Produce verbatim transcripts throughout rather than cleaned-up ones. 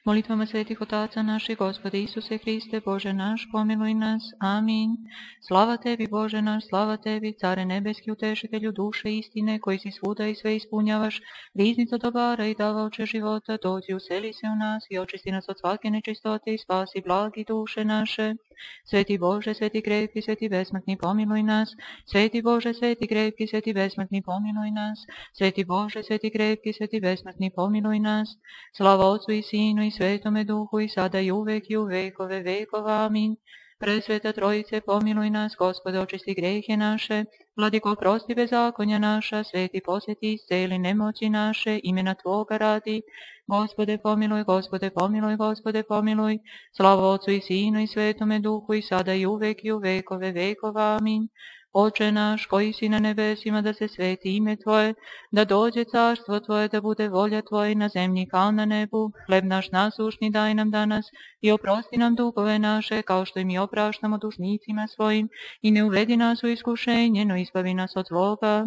Molitvama svetih otaca naših, Gospode Isuse Hriste, Bože naš, pomiluj nas. Amin. Slava tebi, Bože naš, slava tebi, Care nebeski, utešitelju duše istine, koji si svuda i sve ispunjavaš, riznica dobara i davaoče života, dođi, useli se u nas i očisti nas od svake nečistote i spasi blagi duše naše. Sveti Bože, sveti krepki, sveti besmrtni, pomiluj nas. Sveti Bože, sveti krepki, sveti besmrtni, pomiluj nas. Sveti Bože, sveti krepki, sveti besmrtni, pomiluj nas. Slava Otcu i Sinu i Svetome Duhu i sada i uvek i u vekove vekova. Amin. Presveta Trojice, pomiluj nas. Gospode, očisti grehe naše. Vladiko, oprosti bezakonja naša. Sveti, posveti, isceli nemoći naše, imena Tvoga radi. Gospode, pomiluj, Gospode, pomiluj, Gospode, pomiluj. Slava Otcu i Sinu i Svetome Duhu i sada i uvek i u vekove vekova. Amin. Oče naš, koji si na nebesima, da se sveti ime Tvoje, da dođe carstvo Tvoje, da bude volja Tvoja na zemlji kao na nebu. Hleb naš nasušni daj nam danas i oprosti nam dugove naše, kao što i mi opraštamo dužnicima svojim, i ne uvedi nas u iskušenje, no izbavi nas od zloga.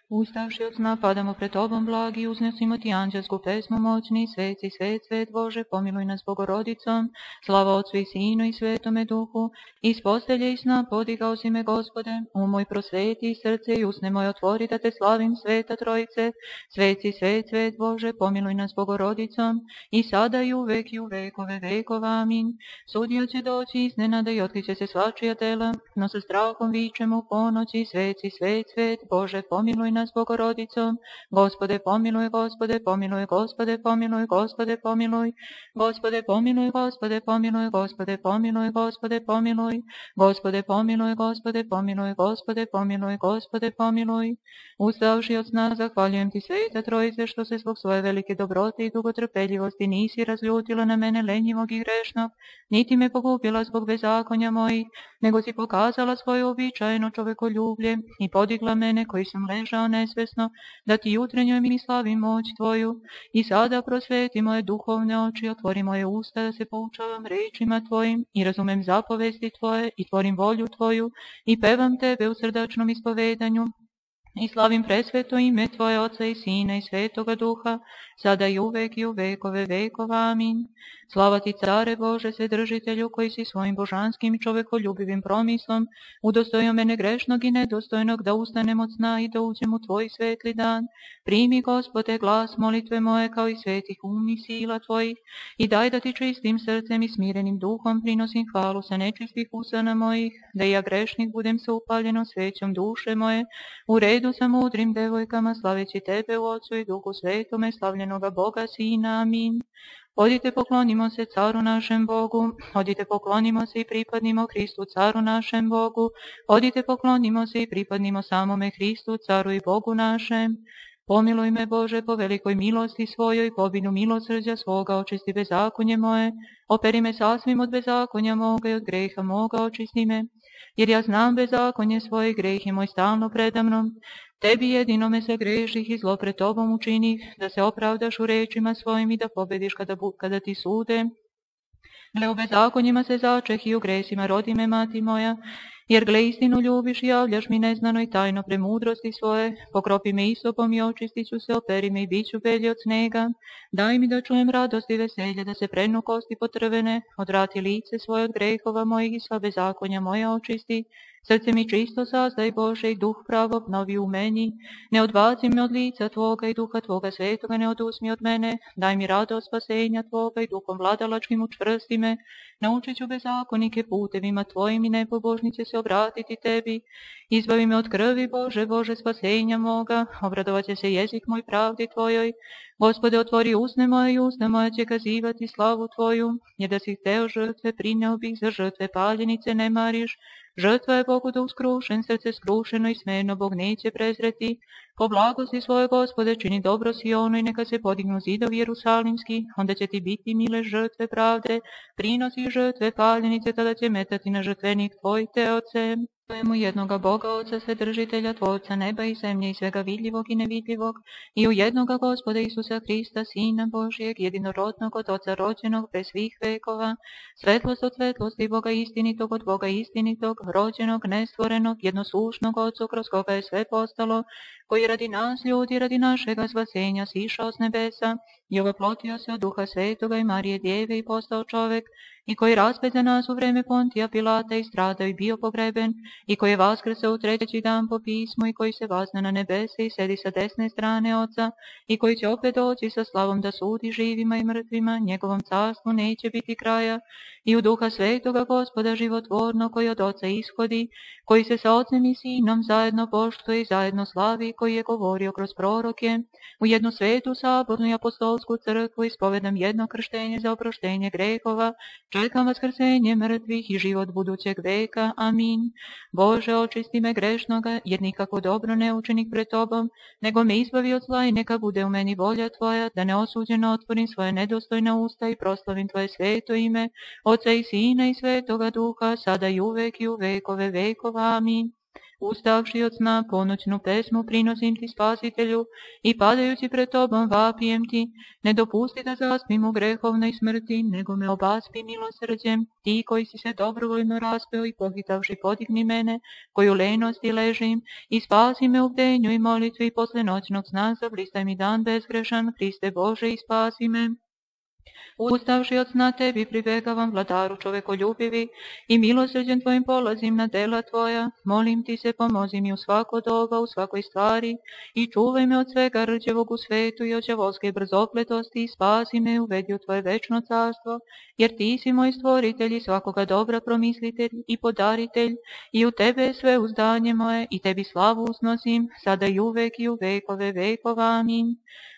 Ustavši od sna, padamo pred Tobom blagi i uznesimo Ti anđelsku pesmu moćni. Sveci, svet, svet Bože, pomiluj nas Bogorodicom. Slava Otcu i Sinu i Svetome Duhu. Iz postelje i sna podigao si me, Gospode, um moj prosveti i srce i usne moje otvori, da Te slavim, Sveta Trojice. Sveci, svet, svet Bože, pomiluj nas Bogorodicom. I sada i uvek i u vekove vekova. Amin. Sudija će doći iznenada i otkriće se svačija dela, no sa strahom vičemo u ponoći. Sveci, svet, svet Bože, pomiluj nas Bogorodicom. Gospode, pomiluj, Gospode, pomiluj, Gospode, pomiluj, Gospode, pomiluj. Gospode, pomiluj, Gospode, pomiluj, Gospode, pomiluj, Gospode, pomiluj. Gospode, pomiluj, Gospode, pomiluj, Gospode, pomiluj, Gospode, pomiluj. Ustavši od sna, zahvaljujem Ti, Sveta Trojice, što se zbog svoje velike dobrote i dugotrpeljivosti nisi razljutila na mene lenjivog i grešnog, niti me pogubila zbog bezakonja mojih, nego si pokazala svoje uobičajeno čovekoljublje i podigla mene koji sam ležao nesvesno, da Ti jutrenjoj mi slavim moć Tvoju. I sada prosveti moje duhovne oči, otvori moje usta da se poučavam rečima Tvojim i razumem zapovesti Tvoje i tvorim volju Tvoju i pevam Tebe u srdačnom ispovedanju. I slavim presveto ime Tvoje, Oca i Sina i Svetoga Duha, sada i uvek i u vekove vekova. Amin. Slava Ti, Care Bože, Svedržitelju, koji si svojim božanskim i čovekoljubivim promislom udostojio mene grešnog i nedostojnog da ustanem od sna i da uđem u Tvoj svetli dan. Primi, Gospode, glas molitve moje kao i svetih um i sila Tvojih i daj da Ti čistim srcem i smirenim duhom prinosim hvalu sa nečistih usana mojih, da i ja grešnik budem sa upaljeno svećom duše moje, u redu sa mudrim devojkama, slaveći Tebe u Otcu i Duhu Svetome, slavljenoga Boga Sina. Amin. Odite, poklonimo se Caru našem Bogu, odite, poklonimo se i pripadnimo Hristu, Caru našem Bogu, odite, poklonimo se i pripadnimo samome Hristu, Caru i Bogu našem. Pomiluj me, Bože, po velikoj milosti svojoj, po obinu milosrđa svoga, očisti bezakonje moje, operi me sasvim od bezakonja moga i od greha moga očisti me, jer ja znam bezakonje svoje, greh je moj stalno predamnom. Tebi jedinome se greših i zlo pred Tobom učinih, da se opravdaš u rečima svojim i da pobediš kada, kada Ti sude. Gle, u bezakonjima se začeh i u gresima rodi me, mati moja, jer gle, istinu ljubiš i javljaš mi neznano i tajno premudrosti svoje. Pokropi me isopom i očistit ću se, operi me i bit ću belji od snega. Daj mi da čujem radost i veselje, da se prenu kosti potrvene, odvrati lice svoje od grehova mojih i sva bezakonja moja očisti. Srce mi čisto sazdaj, Bože, i duh pravo obnovi u meni. Ne odbaci me od lica Tvoga i duha Tvoga svetoga ne oduzmi od mene. Daj mi radost spasenja Tvoga i duhom vladalačkim učvrsti me. Naučit ću bezakonike putevima Tvojim i nepobožnice se obratiti Tebi. Izbavi me od krvi, Bože, Bože, spasenja moga. Obradovat će se jezik moj pravdi Tvojoj. Gospode, otvori usne moje i usta moja će kazivati slavu Tvoju. Jer da si hteo žrtve, prineo bih, za žrtve paljenice ne mariš. Žrtva je Bogu da uskrušen, srce skrušeno i smeno Bog neće prezreti. Po blagosti svoje, Gospode, čini dobro Sionu i neka se podignu zidovi Jerusalimski, onda će Ti biti mile žrtve pravde, prinosi žrtve paljenice, tada će metati na žrtvenik Tvoj, Teoce. Tvojemu jednoga Boga, Oca Svedržitelja, Tvorca neba i zemlje i svega vidljivog i nevidljivog, i u jednoga Gospoda Isusa Krista, Sina Božijeg, jedinorodnog od Oca rođenog bez svih vekova, svetlost od svetlosti Boga istinitog od Boga istinitog, rođenog, nestvorenog, jednoslušnog Otcu, kroz koga je sve postalo, koji radi nas ljudi, radi našega spasenja, sišao s nebesa i ovoplotio se od Duha Svetoga i Marije Djeve i postao čovek, i koji raspet za nas u vreme Pontija Pilata i stradao i bio pogreben, i koji je vaskrsao u treći dan po pismu, i koji se vazna na nebese i sedi sa desne strane Oca, i koji će opet doći sa slavom da sudi živima i mrtvima, njegovom carstvu neće biti kraja, i u Duha Svetoga Gospoda životvorno, koji od Oca ishodi, koji se sa Ocem i Sinom zajedno poštuje i zajedno slavi, koji je govorio kroz proroke, u jednu svetu sabornu i apostolsku crkvu ispovedam jedno krštenje za oproštenje grehova, čekam vaskrsenje mrtvih i život budućeg veka. Amin. Bože, očisti me grešnoga, jer nikako dobro ne učinih pred Tobom, nego me izbavi od zla i neka bude u meni volja Tvoja, da neosuđeno otvorim svoje nedostojna usta i proslavim Tvoje sveto ime, Oca i Sina i Svetoga Duha, sada i uvek i u vekove vekova. Amin. Ustavši od sna, ponoćnu pesmu prinosim Ti, Spasitelju, i padajući pred Tobom vapijem Ti, ne dopusti da zaspim u grehovnoj smrti, nego me obaspi milosrđem, Ti koji si se dobrovoljno raspeo i pohitavši podigni mene, koji u lenosti ležim, i spasi me u bdenju i molitvi posle noćnog sna, zablistaj mi dan bezgrešan, Hriste Bože, i spasi me. Ustavši od sna Tebi pribegavam, Vladaru čovekoljubivi, i milosrđem Tvojim polazim na dela Tvoja, molim Ti se, pomozi mi u svako doba, u svakoj stvari, i čuvaj me od svega rđevog u svetu i od đavolske brzopletosti, i spasi me, uvedi u Tvoje večno carstvo, jer Ti si moj stvoritelj i svakoga dobra promislitelj i podaritelj, i u Tebe je sve uzdanje moje, i Tebi slavu usnosim, sada i uvek i u vekove vekova. Amin.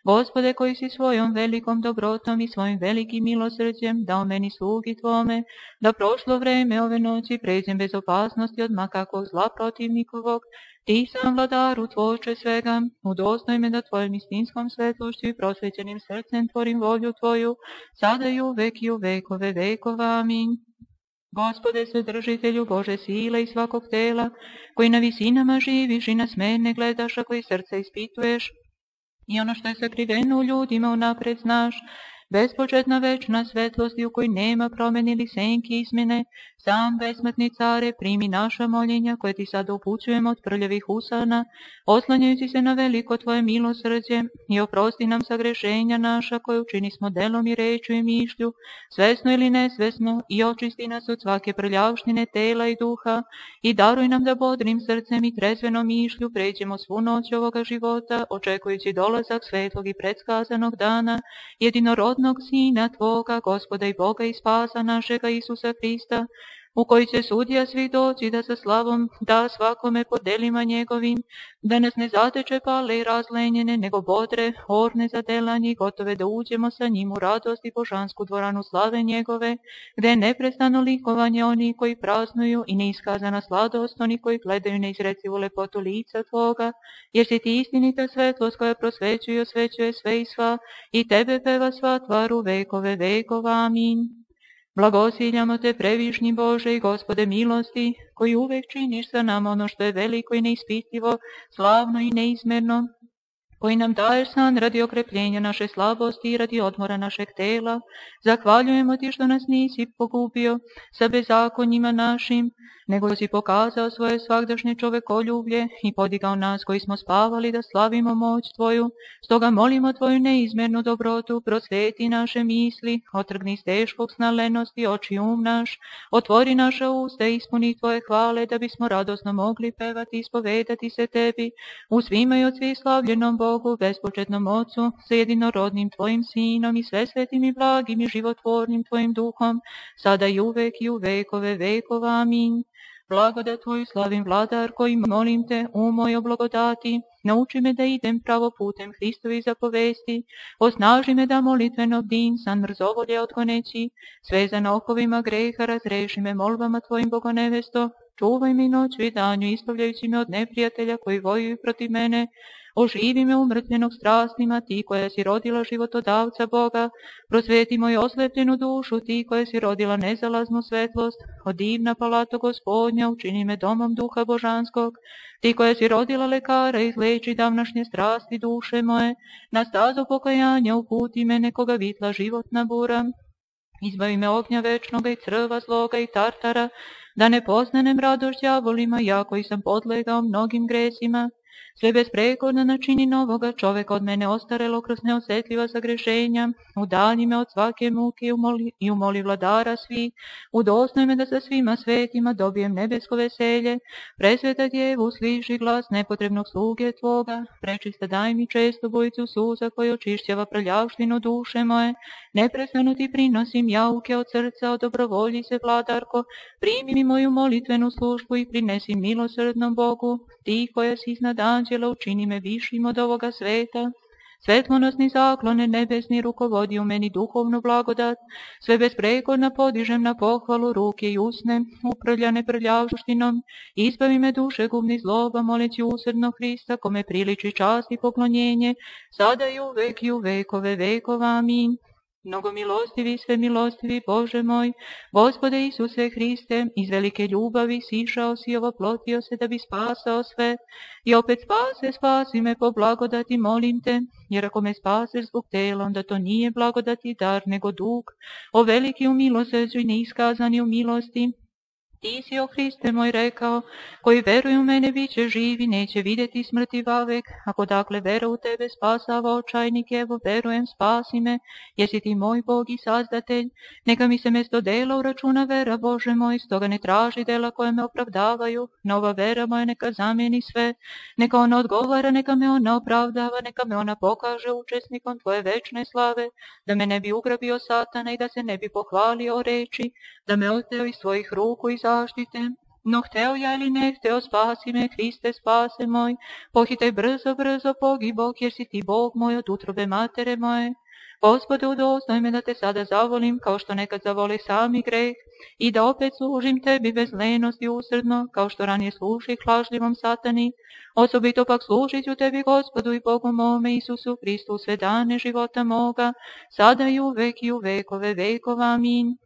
Gospode, koji si svojom velikom dobrotom i svojim velikim milosrđem dao meni slugi Tvome, da prošlo vreme ove noći pređem bez opasnosti od makakvog zla protivnikovog, Ti sam, Vladaru, Tvorče svega, udosnoj me da Tvojom istinskom svetlošću i prosvećenim srcem tvorim volju Tvoju, sada i uvek i u vekove vekova. Amin. Gospode, Svedržitelju, Bože sile i svakog tela, koji na visinama živiš i na smene gledaš, a koji srce ispituješ, i ono što je sakriveno u ljudima unapred znaš, bespočetna večna svetlosti u kojoj nema promjene ili senki izmjene, sam besmrtni care, primi naša moljenja koje Ti sada upućujemo od prljavih usana, oslanjajući se na veliko Tvoje milosrđe, i oprosti nam sagrešenja naša koje učini smo delom i rečju i mišlju, svesno ili nesvesno, i očisti nas od svake prljavštine tela i duha, i daruj nam da bodrim srcem i trezvenom mišlju pređemo svu noć ovoga života, očekujući dolazak svetlog i predskazanog dana, jedinorodnog Sina Tvoga, Gospoda i Boga i Spasa našega Isusa Hrista, u koji će sudija svih doći da sa slavom da svakome po delima njegovim, da nas ne zateče pale i razlenjene, nego bodre, orne za delanje, gotove da uđemo sa njim u radost i božansku dvoranu slave njegove, gde je neprestano likovanje oni koji praznuju i neiskazana sladost oni koji gledaju neizrecivu lepotu lica Tvoga, jer si Ti istinita svetlost koja prosvećuje i osvećuje sve i sva, i Tebe peva sva tvar u vekove vekova. Amin. Blagosiljamo Te, previšnji Bože i Gospode milosti, koji uvek činiš sa nama ono što je veliko i neispitivo, slavno i neizmerno, koji nam daješ san radi okrepljenja naše slabosti i radi odmora našeg tela. Zahvaljujemo Ti što nas nisi pogubio sa bezakonjima našim, nego si pokazao svoje svagdašnje čovekoljublje i podigao nas koji smo spavali da slavimo moć Tvoju. Stoga molimo Tvoju neizmernu dobrotu, prosveti naše misli, otrgni s teškog sna lenosti oči um naš, otvori naša usta i ispuni Tvoje hvale, da bismo radosno mogli pevati i ispovedati se Tebi, u svima i od svih slavljenom Bogu, bespočetnom Ocu, sa jedinorodnim Tvojim Sinom i sve svetim i blagim i životvornim Tvojim Duhom, sada i uvek i u vekove vekova. Amin. Blagodat Tvoju slavim, Vladar, koji molim Te, u mojoj blagodati, nauči me da idem pravo putem Hristovi zapovesti, osnaži me da molitveno bdim, san mrzovolje otkoneći, svezan okovima greha razreši me molbama Tvojim, Bogonevesto, čuvaj mi noć i danju, ispravljajući me od neprijatelja koji vojuju protiv mene, Oživi me umrtljenog strastima, ti koja si rodila životodavca Boga. Prosveti moju oslepljenu dušu, ti koja si rodila nezalaznu svetlost. O divna palato Gospodnja, učini me domom duha božanskog. Ti koja si rodila lekara, izleči davnašnje strasti duše moje. Na stazu pokajanja uputi me, nekoga vitla životna bura. Izbavi me ognja večnoga i crva zloga i tartara, da ne poznanem radost đavolima, ja koji sam podlegao mnogim gresima. Sve besprekorno načini novoga čoveka, od mene ostarelo kroz neosjetljiva sagrešenja. Udalji me od svake muke i umoli, i umoli vladara svih. Udosnoj me da sa svima svetima dobijem nebesko veselje. Presveta Djevu, sliši glas nepotrebnog sluge Tvoga. Prečista daj mi često bojicu suza koja očišćava prljavštinu duše moje. Neprestano ti prinosim jauke od srca, od dobrovolji se, vladarko. Primi mi moju molitvenu službu i prinesi milosrdnom Bogu. Ti koja si iznad anđela, učini me višim od ovoga sveta. Svetlonosni zaklone nebesni rukovodi u meni duhovnu blagodat. Sve besprekorno podižem na pohvalu, ruke i usne, uprljane prljavštinom. Izbavi me duše gubnih zloba, moleći usrdno Hrista, kome priliči čast i poklonjenje, sada i uvek i u vekove vekova. Amin. Mnogo milostivi, sve milostivi, Bože moj, Gospode Isuse Hriste, iz velike ljubavi sišao si, ovoplotio se da bi spasao sve. I opet spase, spasi me po blagodati, molim te, jer ako me spaseš zbog tela, onda to nije blagodati dar, nego dug. O veliki u milosrđu i neiskazani u milosti. Ti si, o Hriste moj, rekao, koji veruju u mene bit će živi, neće vidjeti smrti vavek. Ako dakle vera u tebe spasava očajnik, evo verujem, spasi me, jesi ti moj Bog i sazdatelj. Neka mi se mjesto dela uračuna vera, Bože moj, stoga ne traži dela koje me opravdavaju. Nova vera moja neka zamijeni sve, neka ona odgovara, neka me ona opravdava, neka me ona pokaže učesnikom tvoje večne slave, da me ne bi ugrabio satana i da se ne bi pohvalio o reči, da me oteo iz svojih ruku i zaštite. No hteo ja ili ne hteo, spasi me, Hriste, spase moj. Pohitaj brzo, brzo, pogibok, jer si ti Bog moj od utrobe matere moje. Gospode, udosnoj me da te sada zavolim, kao što nekad zavole sami greh, i da opet služim tebi bez lenosti usrdno, kao što ranije služih lažljivom satani. Osobito pak služit ću tebi, Gospodu i Bogu mome, Isusu Hristu, sve dane života moga, sada i uvek i u vekove vekova. Amin.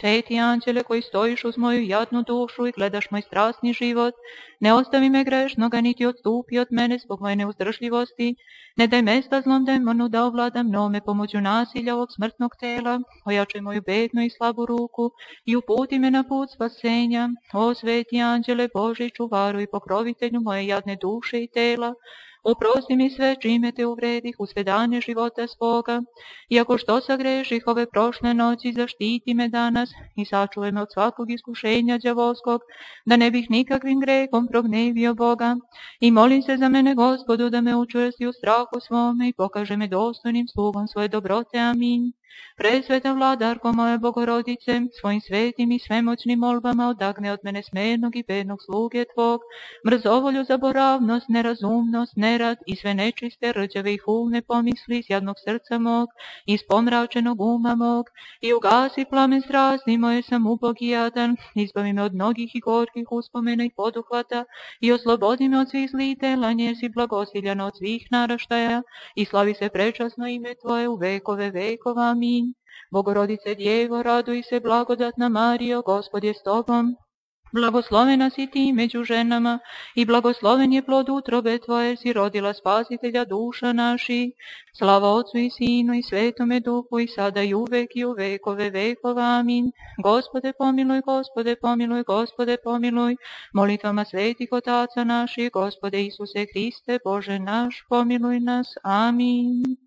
Sveti anđele koji stojiš uz moju jadnu dušu i gledaš moj strasni život, ne ostavi me grešnoga, niti odstupi od mene zbog moje neuzdržljivosti. Ne daj mesta zlom demonu da ovlada mnome pomoću nasilja ovog smrtnog tela. Ojačaj moju bednu i slabu ruku i uputi me na put spasenja. O sveti anđele Boži, čuvaru i pokrovitelju moje jadne duše i tela, oprosti mi sve čime te uvredih u sve dane života svoga. Iako što sagreših ove prošle noći, zaštiti me danas i sačuvaj me od svakog iskušenja đavolskog, da ne bih nikakvim grehom prognevio Boga. I molim se za mene, Gospodu, da me učvrsti u strahu svome i pokaže me dostojnim slugom svoje dobrote. Amin. Presveta vladarko moja Bogorodice, svojim svetim i svemoćnim molbama odagne od mene smernog i bednog sluge Tvog, mrzovolju, zaboravnost, nerazumnost, nerad i sve nečiste, rđave i hulne pomisli iz jadnog srca mog, iz pomračenog uma mog, i ugasi plamen strasti moje, sam ubog i jadan, izbavi me od mnogih i gorkih uspomena i poduhvata i oslobodi me od svih zlih dela, jer si blagosiljana od svih naraštaja i slavi se prečasno ime Tvoje u vekove vekova. Amin. Bogorodice Djevo, raduj se, blagodatna Marijo, Gospod je s tobom. Blagoslovena si ti među ženama i blagosloven je plod utrobe Tvoje, jer si rodila Spasitelja duša naših. Slava Otcu i Sinu i Svetome Duhu, i sada i uvek i u vekove vekova. Amin. Gospode pomiluj, Gospode pomiluj, Gospode pomiluj. Molitvama svetih otaca naših, Gospode Isuse Hriste, Bože naš, pomiluj nas. Amin.